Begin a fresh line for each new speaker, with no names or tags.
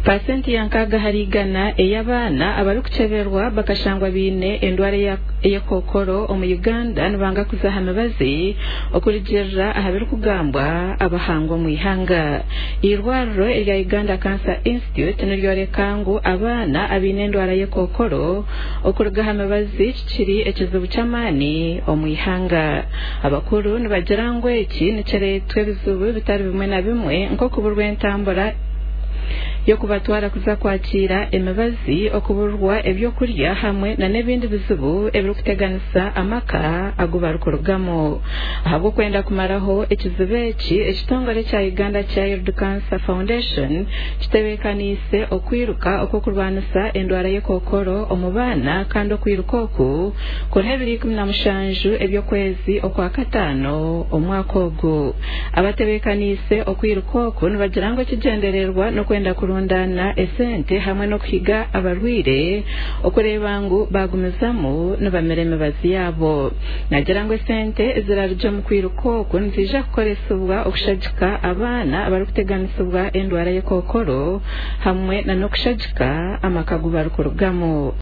Pasenti ya 60% ey'abaana abarikukyeberwa bakashangwa baine endwara ey'ekookoro omu Uganda nibanga kuza aha mibazi okurugiirira aha birikugambwa abahangu omu ihanga. Eirwariro erya Uganda Cancer Institute niryoreka ngu abaana abaine endwara y'ekookoro okuruga aha mibazi kikiri ekizibu ky'amaani omu ihanga. Abakuru nibagira ngu eki nikireetwa ebizibu bitari bimwe na bimwe nk'okuburwa entambura y'okubatwara kuza kwakiira emibazi, okuburwa ebyokurya hamwe n'ebindi bizibu ebirikuteganisa amaka agu barikurugamu. Ahabw'okwenda kumaraho ekizibu eki, ekitongore kya Uganda Child Cancer Foundation kitebeekaniise okwiruka okw'okurwanisa endwara y'ekookoro omu baana kandi okwiruka oku kuriho ebiro 17 eby'okwezi Okwakataano omwaka ogu. Abatebeekaniise okwiruka oku nibagira ngu ekigyendererwa n'okwenda kurundaana esente hamwe n'okuhiga abarwaire okureeba ngu baagumizamu nibamira emibazi yaabo. Nagira ngu esente ezirarugye omu kwiruka oku niziija kukoresibwa okushagika abaana abarikuteganisibwa endwara y'ekookoro hamwe n'okushagika amaka agu barikurugamu.